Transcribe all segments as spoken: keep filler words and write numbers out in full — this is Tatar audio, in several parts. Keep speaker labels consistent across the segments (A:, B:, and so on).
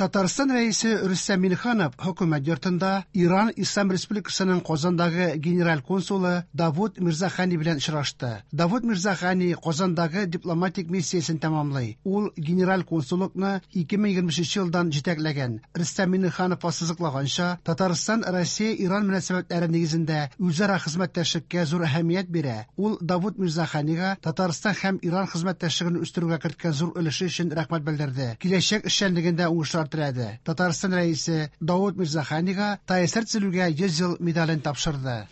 A: Татарстан Рәисе Рөстәм Миңнеханов Хөкүмәт йортында Иран Ислам Республикасының Казандагы генераль консулы Давуд Мирзахани белән очрашты. Давуд Мирзахани Казандагы дипломатик миссиясен тәмамлый. Ул генераль консуллыкны ике мең егерме өченче елдан җитәкләгән. Рөстәм Миңнеханов ассызыклаганча, Татарстан Россия-Иран мөнәсәбәтләре нигезендә үзара хезмәттәшлеккә зур әһәмият бирә. Ул Давуд Мирзаханига Татарстан һәм Иран хезмәттәшлеген үстерүгә керткән зур өлеше өчен рәхмәт белдерде. Киләчәк эшчәнлегендә уңышлар теләде. Татарстан Рәисе Давуд Мирзаханига ТАССР төзелүгә йөз ел медален тапшырды.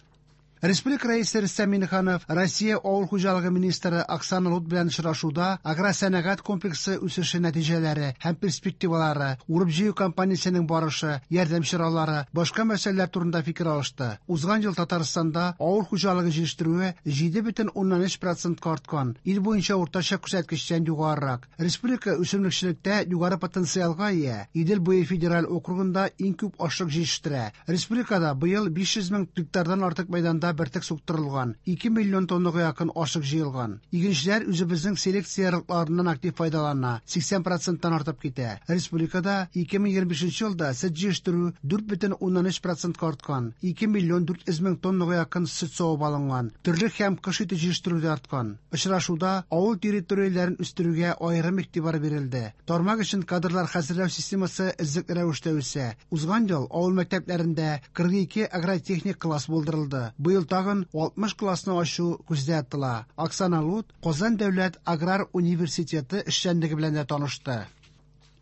A: Республика Рәисе Рөстәм Миңнеханов Россия Авыл хуҗалыгы министры Оксана Лут белән очрашуда агросәнәгать комплексы үсеше нәтиҗәләре һәм перспективалары, урып-җыю кампаниясенең барышы, ярдәм чаралары, башка мәсьәләләр турында фикер алышты. Узган ел Татарстанда авыл хуҗалыгы җитештерүе җиде бөтен уннан өч процентка арткан, ил буенча уртача күрсәткечтән югарырак. Республика үсемлекчелектә югары потенциалга ия. Идел буе федераль округында иң күп ашлык җитештерә. Республикада быел биш йөз мең гектардан артык мәйданда бөртек суктырылган, ике миллион тоннага якын ашлык җыелган. Игенчеләр үзебезнең селекция ярлыкларыннан актив файдалана, сиксән проценттан артып китә. Республикада ике мең егерме бишенче елда сөт җитештерү дүрт бөтен уннан өч процентка арткан, ике миллион дүрт йөз мең тоннага якын сөт савып алынган. Терлек һәм кош ите җитештерү дә арткан. Очрашуда авыл территорияләрен үстерүгә аерым игътибар бирелде. Тармак өчен кадрлар хәзерләү системасы эзлекле рәвештә үсә. Узган ел авыл мәктәпләрендә кырык ике агротехник класс булдырылды. Быел тагын алтмыш классны ачу күздә тотыла. Оксана Лут Казан дәүләт аграр университеты эшчәнлеге белән дә танышты.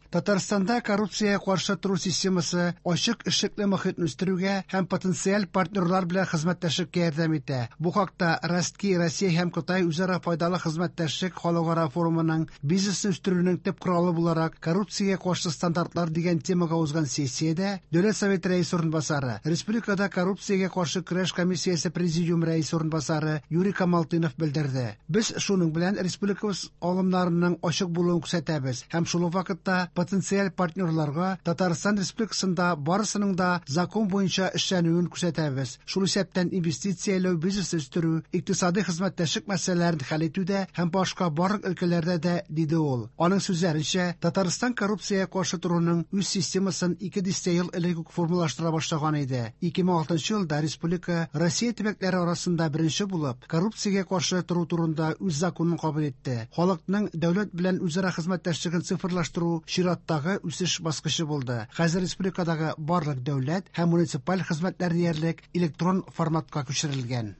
A: Татарстанда коррупциягә каршы тору системасы ачык эшлекле мохитне үстерүгә һәм потенциаль партнерлар белән хезмәттәшлеккә ярдәм итә. Бу хакта Ростки, Россия һәм Кытай үзара файдалы хезмәттәшлек халыкара форумының бизнесны үстерүнең төп коралы буларак коррупциягә каршы стандартлар дигән темага узган сессиядә Дәүләт Советы рәисе урынбасары, Республикада коррупциягә каршы көрәш комиссиясе президиум рәисе урынбасары Юрий Камалтынов белдерде. Без шуның белән республикабыз алымнарының ачык булуын күрсәтәбез һәм шул ук вакытта потенциаль партнерларга Татарстан Республикасында барысының да закон буенча эшләнүен күрсәтәбез. Шул исәптән инвестицияләү, бизнес үстерү, икътисади хезмәттәшлек мәсьәләләрен хәл итүдә һәм башка барлык өлкәләрдә дә, диде ул. Аның сүзләренчә, Татарстан коррупциягә каршы торуның үз системасын ике дистә ел элек үк формалаштыра башлаган иде. Ике мең алтынчы елда республика Россия төбәкләре арасында беренче булып коррупциягә каршы тору турында үз законын кабул итте. Халыкның дәүләт белән үзара хезмәттәшлеген цифрлаштыру чираттагы үсеш баскычы булды. Хәзер республикадагы барлык дәүләт һәм муниципаль хезмәтләр диярлек электрон форматка күчерелгән.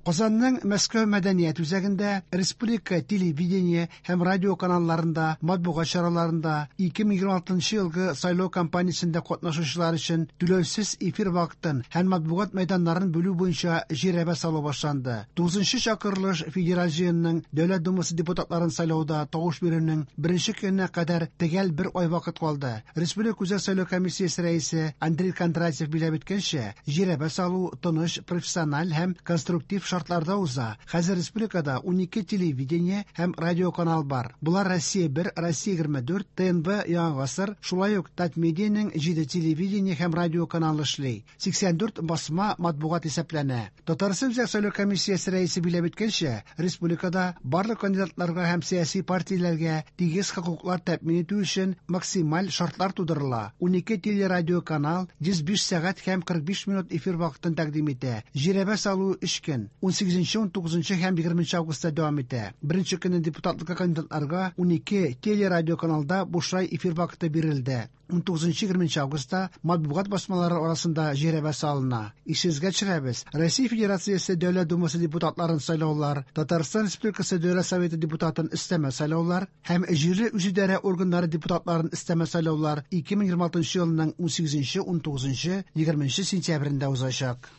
A: Казанның Мәскәү мәдәният үзәгендә республика телевидение һәм радио каналларында, матбугат чараларында ике мең егерме алтынчы елгы сайлау кампаниясендә катнашучылар өчен түләүсез эфир вакытын һәм матбугат мәйданнарын бүлү буенча жирәбә салу башланды. Тугызынчы чакырылыш Федераль җыенның Дәүләт Думасы депутатларын сайлауда тавыш бирүнең беренче көненә кадәр төгәл бер ай вакыт калды. Республика Үзәк сайлау комиссиясе рәисе Андрей Кондратьев билгеләп үткәнчә, жирәбә салу тыныч, профессиональ һәм конструктив шартларда уза. Хәзер республикада унике телевидение һәм радио канал бар. Булар Россия бер, Россия егерме дүрт, Т Н В Яңа гасыр, шулай ук Татмедианың җиде телевидение һәм радио каналы эшли. Сиксән дүрт басма матбугат исәпләнә. Татарстан Үзәк сайлау комиссиясе рәисе билгеләп үткәнчә, республикада барлык кандидатларга һәм сәяси партияләргә тигез хокуклар тәэмин итү өчен максималь шартлар тудырыла. Унике телерадио канал йөз биш сәгать һәм кырык биш минут эфир вакытын тәкъдим итә. Жирәбә салу өч көн, ун сигезенче, ун тугызынчы һәм егерменче августта дәвам итә. Беренче көнне депутатлыкка кандидатларга унике телерадио каналда бушлай эфир вакыты бирелде. Ун тугызынчы, егерменче августта матбугат басмалары арасында жирәбә салына. Исегезгә төшерәбез, Россия Федерациясе Дәүләт Думасы депутатларын сайлаулар, Татарстан Республикасы Дәүләт Советы депутатын өстәмә сайлаулар һәм җирле үзидарә органнары депутатларын өстәмә сайлаулар ике мең егерме алтынчы елның ун сигезенче, ун тугызынчы, егерменче сентябрендә узачак.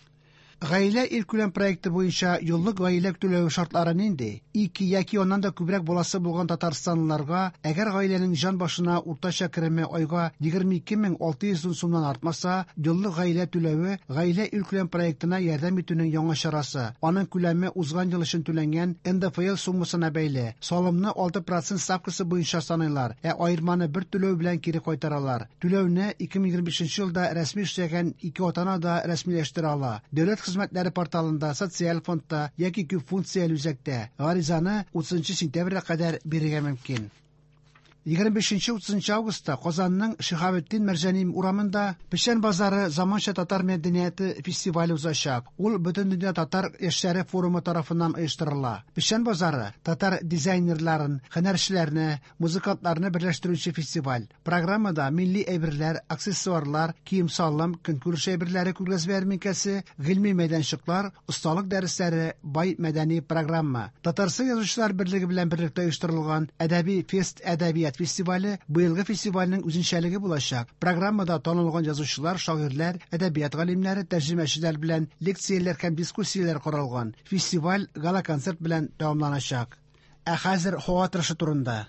A: Гаилә илкүләм проекты буенча еллык гаилә түләү шартлары нинди? Ике яки аннан да күбрәк баласы булган татарстанлыларга, әгәр гаиләнең җан башына уртача кереме айга егерме ике мең алты йөз ун сумнан артмаса, еллык гаилә түләве гаилә илкүләм проектына ярдәм итүнең яңа чарасы. Аның күләме узган ел өчен түләнгән Н Д Ф Л суммасына бәйле. Салымны алты процент ставкасы буенча саныйлар, ә аерманы бер түләү белән кире кайтаралар. Түләүне ике мең егерме бишенче елда рәсми эшләгән ике ата-ана да рәсмиләштерә ала. Дәүләт хезмәтләре порталында, социаль фондта яки күп функцияле үзәктә гаризаны утызынчы сентябрьгә кадәр бирергә мөмкин. Егерме бишенче утызынчы августта Казанның Шиһабетдин Мәрҗани урамында Печән базары заманча татар мәдәнияте фестивале узачак. Ул Бөтендөнья татар яшьләре форумы тарафыннан оештырыла. Печән базары татар дизайнерларын, һөнәрчеләрне, музыкантларны берләштерүче фестиваль. Программада милли әйберләр, аксессуарлар, кием-салым, көнкүреш әйберләре күргәзмә ярминкәсе, гыйльми мәйданчыклар, осталык дәресләре, бай мәдәни программа. Татарстан Язучылар берлеге белән берлектә оештырылган Әдәби фест әдәбият фестивале быелгы фестивальнең үзенчәлеге булачак. Программада танылган язучылар, шагыйрьләр, әдәбият галимнәре, тәрҗемәчеләр белән лекцияләр һәм дискуссияләр каралган. Фестиваль гала-концерт белән тәмамланачак. Ә хәзер һава торышы турында.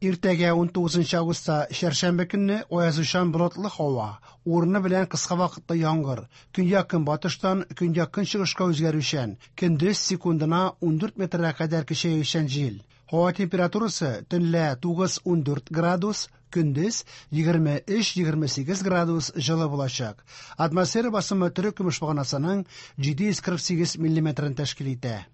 A: Иртәгә унтугызынчы августта чәршәмбе көнне аязучан болытлы һава, урыны белән кыска вакытлы яңгыр, көньяк-көнбатыштан көньяк-көнчыгышка үзгәрүчән, көндез секундына ундүрт метрга кадәр көчәючән җил. Һава температурасы төнлә тугыз-ундүрт градус, көндез егерме өч-егерме сигез градус җылы булачак. Атмосфера басымы терек көмеш баганасының җиде йөз кырык сигез миллиметрын тәшкил итә.